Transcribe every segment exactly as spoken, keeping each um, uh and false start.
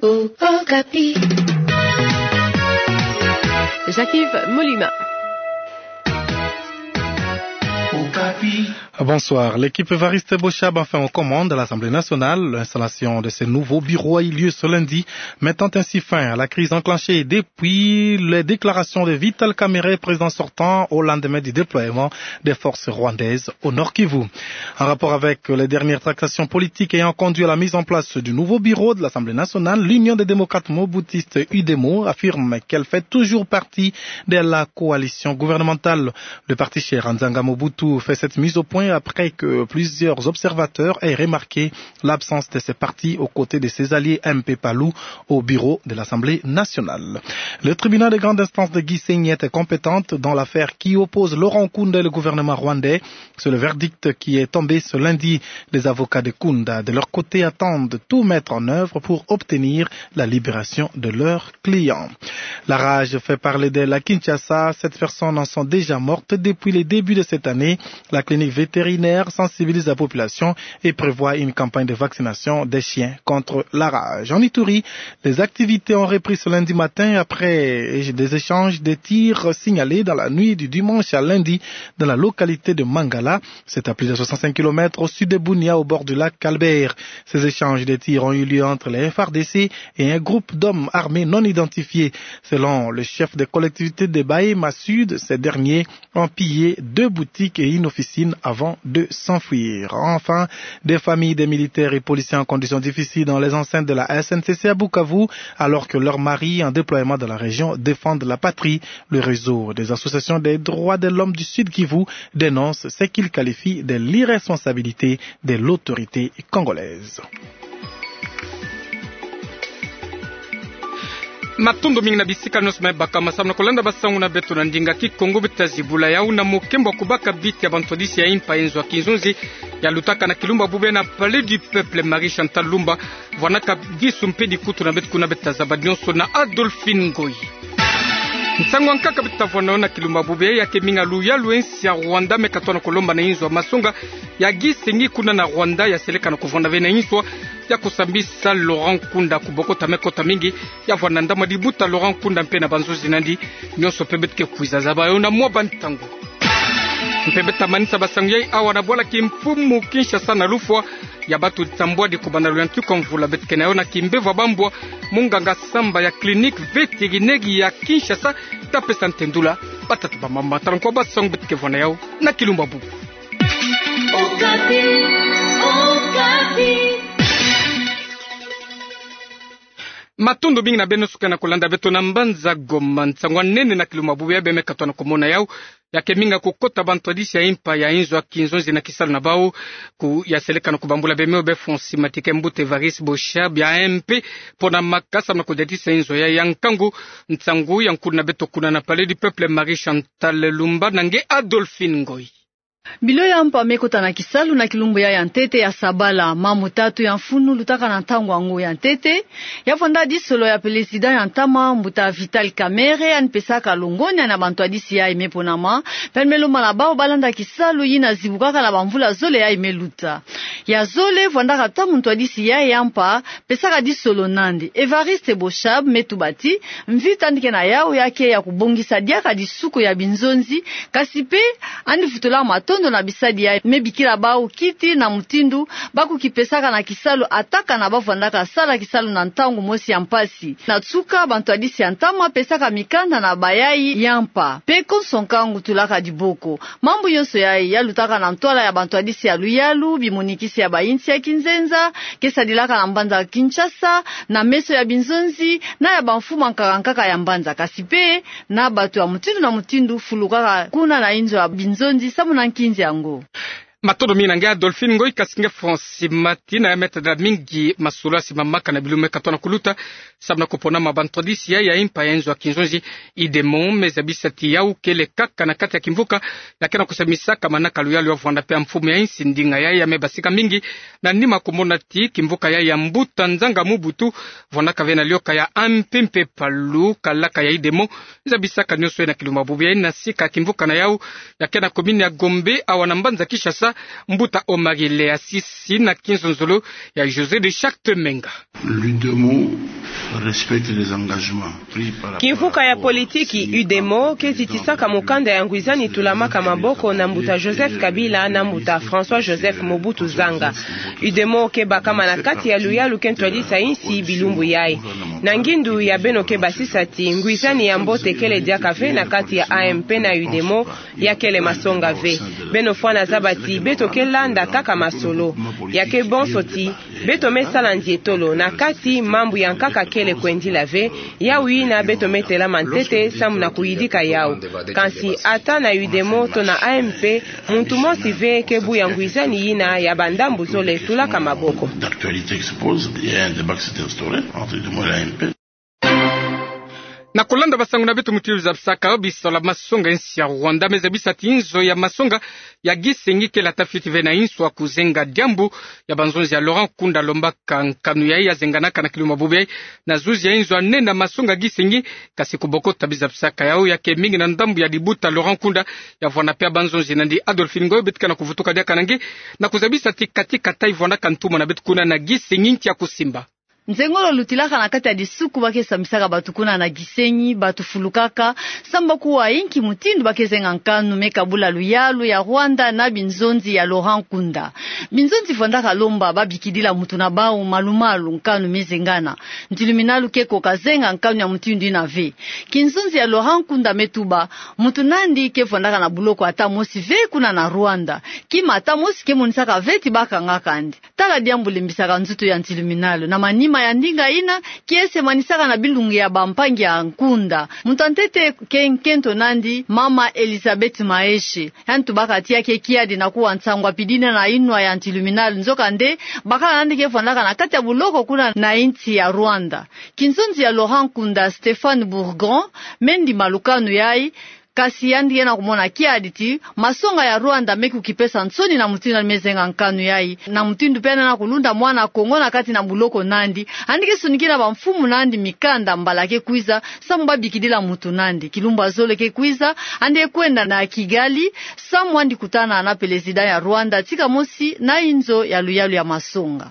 Okapi. Jacques-Yves Molima. Bonsoir. L'équipe Évariste Boshab, enfin aux commandes à l'Assemblée nationale. L'installation de ce nouveau bureau a eu lieu ce lundi, mettant ainsi fin à la crise enclenchée depuis les déclarations de Vital Kamerhe, président sortant, au lendemain du déploiement des forces rwandaises au Nord-Kivu. En rapport avec les dernières tractations politiques ayant conduit à la mise en place du nouveau bureau de l'Assemblée nationale, l'Union des démocrates mobutistes, UDEMO, affirme qu'elle fait toujours partie de la coalition gouvernementale. Le parti cher à Nzanga Mobutu fait cette mise au point après que plusieurs observateurs aient remarqué l'absence de ce parti aux côtés de ses alliés M P Palu au bureau de l'Assemblée nationale. Le tribunal de grande instance de Gisenyi était compétente dans l'affaire qui oppose Laurent Nkunda et le gouvernement rwandais. C'est le verdict qui est tombé ce lundi. Les avocats de Nkunda, de leur côté, attendent tout mettre en œuvre pour obtenir la libération de leur client. La rage fait parler d'elle à Kinshasa. Sept personnes en sont déjà mortes depuis les débuts de cette année. La clinique vétérinaire sensibilise la population et prévoit une campagne de vaccination des chiens contre la rage. En Ituri, les activités ont repris ce lundi matin après des échanges de tirs signalés dans la nuit du dimanche à lundi dans la localité de Mangala. C'est à plus de soixante-cinq kilomètres au sud de Bunia, au bord du lac Albert. Ces échanges de tirs ont eu lieu entre les F R D C et un groupe d'hommes armés non identifiés. Selon le chef de collectivité de Bahema Sud, ces derniers ont pillé deux boutiques et une officine avant de s'enfuir. Enfin, des familles des militaires et policiers en conditions difficiles dans les enceintes de la S N C C à Bukavu, alors que leurs maris en déploiement dans la région défendent la patrie. Le réseau des associations des droits de l'homme du Sud-Kivu dénonce ce qu'il qualifie de l'irresponsabilité de l'autorité congolaise. Matondo mingi na bisika nyonso me bakama samu na kolanda basangu na beto na ndinga Kikongo. Bita zibula yau na mokembo ya kobaka biti ya bantwadisi ya impa ya nzo ya kinzonzi ya lutaka na kilumbu ya bubu yayi na Palais du Peuple, Marie Chantal Lumba vwanaka disu mpe dikutu na beto kuna. Bita zaba nyonso na Adolphine Ngoyi. Nsangu ya nkaka bita vwa na yo na kilumbu ya bubu yayi ya keminga luyalu ya insi ya Rwanda me katwa na kolomba na inzo ya masonga ya Gisenyi kuna na Rwanda ya seleka na kovwanda ve na inswa ya kosambisa Laurent Nkunda kubokota me kota mingi. Ya vwa na ndambu ya dibuta Laurent Nkunda mpe na banzonzi na yandi. Nyonso mpe beto ke kwiza zaba yo na mwa bantangu. Mpe bita manisa basangu yayi awa na bwala kimfumu Kinshasa na lufwa ya bato nsambwadi kobanda luyantiku ya mvula beto ke na yo na kimbevo ya bambwa. Munganga Samba ya clinique vétérinaire ya Kinshasa ta pesa ntendula. Batata, bamama, tala nkwa basangu beto ke vwa na yau na kilumbu ya bubu. Okapi, Okapi. Matondo mingi na beno nyonso ke na kolanda beto na mbanza Goma. Nsangu ya nene na kilumbu ya bubu yayi beno me katwa na komona yau ya keminga kokota bantwadisi ya impa ya inzo ya kinzonzi na kisalu na bau. Ku ya seleka na kobambula bemeo be Francis Matike, mbuta Évariste Boshab ya M P pona makasa na kodiatisa inzo yayi ya nkangu. Nsangu ya nkulu na beto kuna na Palais du Peuple, Marie Chantal Lumba na nge Adolphine Ngoyi. Bilo ya mpa me kota na kisalu na kilumbu yayi ya ntete ya sabala. Mambu tatu ya mfunu lutaka na ntangu yango ya ntete. Ya vwanda disolo ya président ya ntama, mbuta Vital Kamerhe, yandi pesaka longonya na bantwadisi yayi me ponama, mpe yandi me lomba na bau balanda kisalu yina zibukaka na bamvula zole yayi me luta. Ya zole vwandaka ntangu ntwadisi yayi ya mpa pesaka disolo na yandi. Évariste Boshab me tuba ti mvita yandi ke na yau ya ke ya kobongisa diaka disuku ya binzonzi, kasi mpe yandi vutula matondo na bisadi yayi me bikila bau kiti na mutindu ba kukipesaka na kisalu, ataka na ba vwandaka sala kisalu na ntangu mosi ya mpasi. Na nsuka, bantwadisi ya ntama pesaka mikanda na bayayi ya mpa, mpe konso nkangu tulaka diboko. Mambu nyonso yayi ya lutaka na ntwala ya bantwadisi ya luyalu, bimonikisi ya bayinsi ya kinzenza, ke sadilaka na mbanza Kinshasa, na meso ya binzonzi, na ya bamfumu ya nkaka nkaka ya mbanza, kasi mpe na bato ya mutindu na mutindu fulukaka kuna na inzo ya binzonzi samu na nkinzi yango. Matondo mingi na nge Adolphine Ngoyi, kasi nge Francis Mati na ya me tadila mingi masolo ya nsima mamaka na bilumbu me katwa na kuluta samu na koponama bantwadisi yayi ya impa ya inzo ya kinzonzi. Idemo me zabisa ti yau kele kaka na kati ya kimvuka ya ke na kosamisaka manaka luyalu ya vwanda mpe ya mfumu ya insi. Ndinga yayi ya me basika mingi na nima komona ti kimvuka yayi ya mbuta Nzanga Mobutu vwandaka ve na lioka ya M P mpe Palu, kalaka ya Idemo zabisaka nyonso yayi na kilumbu ya bubu yayi na sika ya kimvuka na yau ya ke na commune ya Gombe, awa na mbanza Kinshasa, mbuta Omari Leasisi na kinzonzolo ya José de Charte Menga. L'Udemo Respecte les engagements pris par rapport au... Kimvuka ya politiki UDEMO ke zitisaka mukanda ya ngwizani tulamaka maboko na mbuta Joseph Kabila na mbuta François Joseph Mobutu Zanga. UDEMO ke bakama na kati ya luyalu ke ntwadisa insi bilumbu yayi. Na ngindu ya beno ke basisa ti ngwizani ya mbote kele diaka ve na kati ya AMP na UDEMO, ya kele masonga ve. Beno fwana zaba ti beto ke landa kaka masolo. Ya ke bonso ti beto me sala ndietolo na kati mambu ya nkaka kele kwendila ve, yawu yina beto me telama ntete samu na kuyidika yawu. Kansi ata na UDEMO to na AMP, muntu mosi ve ke buya ngwizani yina ya bandambu zole tulaka maboko. D'actualité qui se pose, il y a un débat qui s'est instauré entre UDEMO et l'AMP. Na kulanda basangu na beto mutindu zabisaka, bisola masonga ya insi ya Rwanda me zabisa ti nzo ya masonga ya Gisenyi kele ata fioti ve na insu ya kuzenga diambu ya banzonzi ya Laurent Nkunda alombaka nkanu yayi ya zenganaka na kilumbu bubu yayi. Na zuzi ya inzo anene ya masonga Gisenyi, kasi kubokota bizabisaka yawu ya ke mingi na ndambu ya dibuta Laurent Nkunda, ya vwanda pe ya banzonzi na yandi. Adolphine Ngoy, beto ke na kuvutuka diaka na nge na kuzabisa ti kati kata ivwandaka ntuma na beto kuna na Gisenyi nti ya kusimba. Nzengolo lutilaka na kati ya disuku ba ke sambisaka bato kuna na Gisenyi, bato fulukaka, samu ba kuwa inki mutindu ba ke zenga nkanu me kabula luyalu ya Rwanda na binzonzi ya Laurent Nkunda. Binzonzi vwandaka lomba ba bikidila mutu na bawu malu-malu nkanu me zengana. Ntiluminalu ke koka zenga nkanu ya mutindu yina ve. Kinzonzi ya Laurent Nkunda me tuba, mutu na yandi ke vwandaka na buloko ata mosi ve kuna na Rwanda. Kima ata mosi ke monisaka ve ti ba kangaka yandi. Tala diambu lembisaka nzutu ya ntiluminalu. Na manima ya ndinga yina, kiese manisaka na bilungi ya bampangi ya Nkunda. Mutu ya ntete ke nkento na yandi, mama Elizabeth Maeshe. Yandi tubaka ti ya ke kiadi na kuwa nsangu apidini na inwa ya ntiluminalu. Nzokande, bakala na yandi ke vwandaka na kati ya buloko kuna na insi ya Rwanda. Kinzonzi ya Laurent Nkunda, Stéphane Bourgon, me ndima lukanu yayi, kasi yandi ke na kumona kiadi ti masonga ya Rwanda me kukipesa nsoni na mutindu yandi me zenga nkanu yayi. Na mutindu pe yandi na kulunda mwana Kongo na kati na buloko na yandi, yandi ke sonikina bamfumu na yandi mikanda mbala ke kwiza, samu ba bikidila mutu na yandi. Kilumbu ya zole ke kwiza, yandi ke kwenda na Kigali, samu yandi kutana na président ya Rwanda, tika mosi na inzo ya luyalu ya masonga.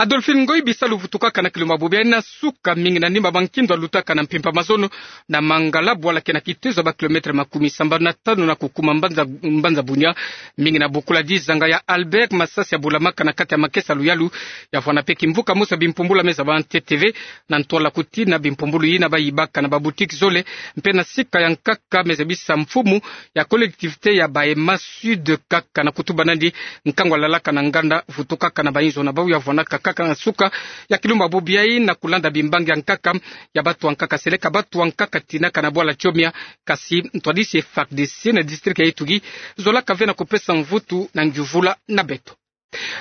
Adolphine Ngoy, bisalu vutukaka na kilumbu bubu yayi. Na suka, mingi na nima ba nkindo alutaka na mpimpa mazono na Mangala, bwala ke na kitezo ya ba kilomètre makumi sambanu na tanu na kukuma mbanza, mbanza Bunia. Mingi na bokula dizanga ya Albert, masasi ya bulamaka na kati ya makesa luyalu. Ya vwanda pe kimvuka mosi ya bimpumbulu ya me zaba ntete ve, na ntwala kutina bimpumbulu yina ba yibaka na ba boutique zole, mpe na sika ya nkaka me zabisa mfumu ya collectivité ya Bahema Sud kaka na kutuba na yandi nkangu alalaka na nganda, vutukaka na bainzo na bawu. Ya vwandaka kaka na suka ya kilumbu bubu yayi na kulanda bimbangi ya nkaka ya bato ya nkaka seleka, bato ya nkaka tinaka na bwala Tchomia, kasi ntwadisi F A R D C na district ya Ituri zolaka ve na kupesa mvutu na ngiuvula na beto.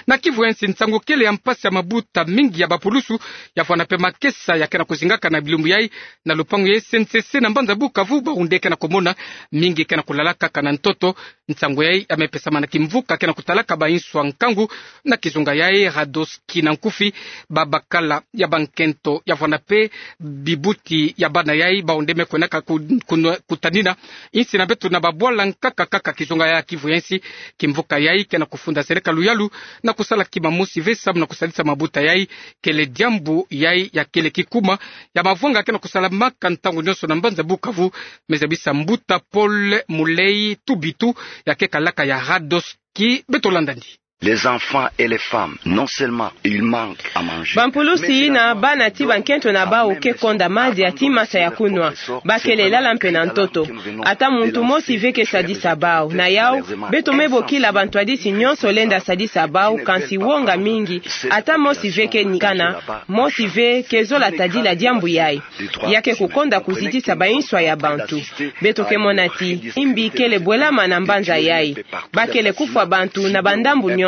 Na Kivu ya nsi, nsangu kele ya mpasi ya mabuta mingi ya bapulusu ya vwanda pe makesa ya ke na kuzingaka na bilumbu yayi na lupangu ya S N C C na mbanza Bukavu. Bawu nde ke na kumona, mingi ke na kulalaka kaka na ntoto. Nsangu yayi ya me pesama na kimvuka ke na kutalaka bainzo ya nkangu na kizunga yayi Radoski na nkufi, ba bakala ya bankento. Ya vwanda pe bibuti ya bana yayi, bawu nde me kwendaka ku-, kunwa-, kutanina insi na beto na babwala nkaka kaka kizunga ya Kivu ya nsi. Kimvuka yayi ke na kufunda seleka luyalu na kusala kima mosi ve samu na kusadisa mabuta yayi. Kele diambu yayi ya kele kikuma ya mavwanga ke na kusalamaka ntangu nyonso na mbanza Bukavu, me zabisa mbuta Paul Mulei Tubitu, ya ke kalaka ya Radoski. Beto landa yandi. Les enfants et les femmes, non seulement ils manquent à manger, bampulusi na bana ti bankento na bawu ke konda madia ti masa ya kunwa, ba kele lala mpe na ntoto. Ata muntu mosi ve ke sadisa bawu. Na yawu, beto me bokila bantwadisi nyonso lenda sadisa bawu, kansi wonga mingi, ata mosi ve ke nikana, mosi ve ke zola tadila diambu yayi. Ya ke kukonda kuzitisa bainzo ya bantu. Beto ke mona ti imbi kele bwelama na mbanza yayi. Ba kele kufwa bantu na bandambu nyonso.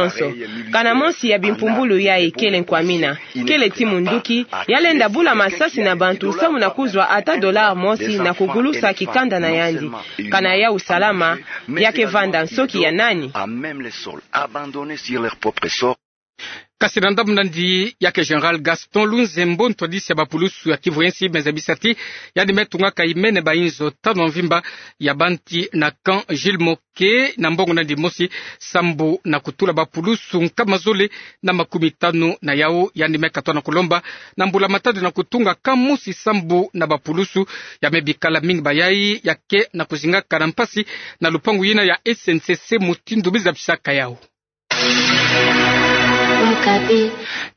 Kana mosi ya bimpumbulu yayi kele nkwamina, kele ti munduki, ya lenda bula masasi na bantu samu na kuzwa ata dollar mosi na kugulusa kikanda na yandi. Kana yawu salama, ya ke vanda nsoki ya nani? À même le sol, abandonnés sur leur propre sort. Kasi na ndambu nandi ya ke Général Gaston Lunzembo, ntwadisi ya bapulusu ya Kivu ya nsi, me zabisa ti yandi me tungaka imene bayinzo tanu ya mvimba ya banti na camp Jules Moke na mbongo nandi mosi, sambu na kutula bapulusu nkama zole na makumi tanu na yau. Yandi me katwa na kulomba na mbula matadi na kutunga camp mosi sambu na bapulusu ya me bikala mingi bayai ya ke na kuzingaka na mpasi na lupangu yina ya S N C C, mutindu mi zabisaka yau.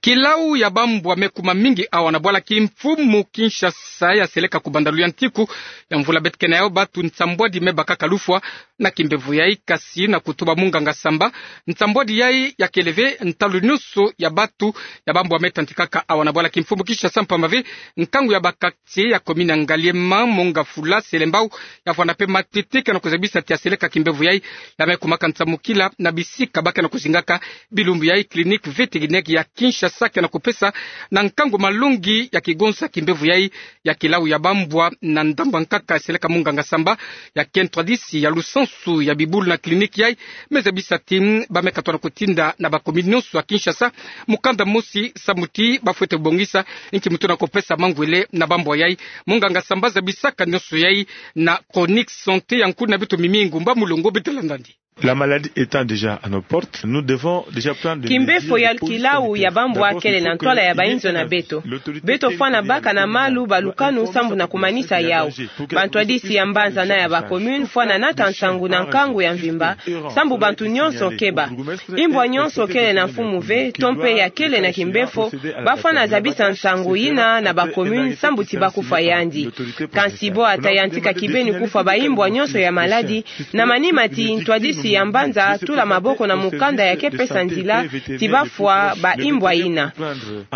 Kilau ya bambwa me kuma mingi awa na bwala kimfumu Kinshasa, ya seleka kubanda luyantiku ya mvula beto ke na yau. Batu nsambwadi me bakaka lufwa na kimbevo yai, kasi na kutuba munganga Samba, nsambwadi yai ya kele ve ntalu nyonso ya batu ya bambwa me tantikaka awa na bwala kimfumu Kinshasa, mpamba ve nkangu ya baka ti ya commune ya Ngaliema, Mont-Ngafula, Selembao, ya vwanda mpe matete, ke na kuzabisa ti ya seleka kimbevo yai ya me kumaka nsamukila na bisika ba ke na kuzingaka bilumbu yai. Clinique vétérinaire ya Kinshasa ke na kupesa na nkangu malongi ya kigonsa kimbevo yai ya kilau ya bambwa na ndambu ya nkaka ya seleka munganga Samba, ya ke ntwadisi ya lusansu ya bibulu na clinique yai. Me zabisa ti, mm, ba me katwa na kutinda na ba commune nyonso ya Kinshasa mukanda mosi, samu ti ba fwete bongisa nki muntu na kupesa mangwele na bambwa yai. Munganga Samba zabisaka nyonso yai na Chronique Santé ya nkuna beto Mimi Ngumba Mulongo. Beto landa nandi. La maladie étant déjà à nos portes, nous devons déjà prendre des mesures. Kimbevo ya kilau ya bambwa kele na ntwala ya bayinzo na beto. Beto fwana baka na malu balukanu sambu na kumanisa yau. Bantwadisi ya mbanza na ya ba commune fwana nata nsangu na nkangu ya mvimba, sambu bantu nyonso keba. Imbwa nyonso kele na mfumu ve, to mpe ya kele na kimbevo, ba fwana zabisa nsangu yina na ba commune sambu ti ba kufwa yandi. Kansi bwa ta yantika kibeni kufwa baimbwa nyonso ya maladi, na manima ti ntwadisi ya mbanza tula maboko na mukanda ya ke pesa nzila ti ba fwa baimbwa yina.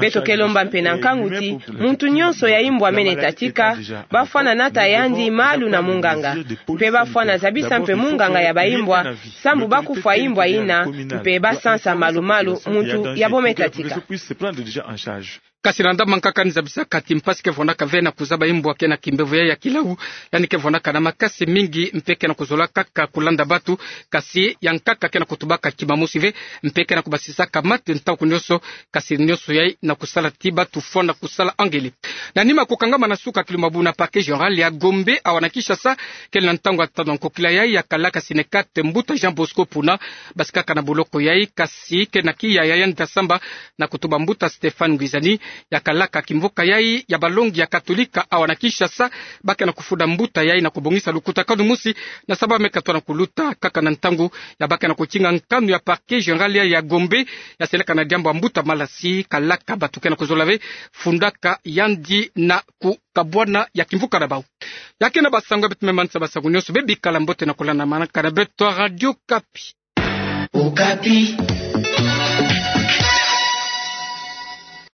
Beto ke lomba mpe na nkangu ti muntu nyonso ya imbwa mene tatika, ba fwana nata yandi malu na munganga. Mpe ba fwana zabisa mpe munganga ya baimbwa, sambu ba kufwa imbwa yina, mpe ba sansa malu-malu muntu ya bo me tatika. Kasi na ndambu ya nkaka ni zabisaka ti mpasi ke vwandaka ve na kuzaba imbwa ke na kimbevo yai ya kilau, yandi ke vwandaka na makasi mingi, mpe ke na kuzola kaka kulanda batu, kasi ya nkaka ke na kutubaka kima mosi ve, mpe ke na kubasisaka mate ntangu nyonso, kasi nyonso yai na kusala ti batu fwana kusala angele. Na nima kukangama na suka kilumabu na parquet général ya Gombe awa na Kinshasa, kele na ntangu ya tanu ya nkokila yai ya kalaka Synekat mbuta Jean Bosco Puna, basikaka na boloko yai, kasi ke na kiya ya yandi ta samba na kutuba mbuta Stéphane Ngwizani, ya kalaka kimvuka yai ya balongi ya Katolika awa na Kinshasa, ba ke na kufunda mbuta yai na kubongisa lukutakanu mosi, na samba me katwa na kuluta kaka na ntangu ya ba ke na kutinga nkanu ya parquet général yai ya Gombe, ya seleka na diambu ya mbuta Malasi, kalaka batu ke na kuzola ve fundaka yandi na kukabwana ya kimvuka na bau. Ya ke na basango ya beto me manisa, basango nyonso be bikala mbote na kulandamanaka na beto Radio Okapi. Okapi.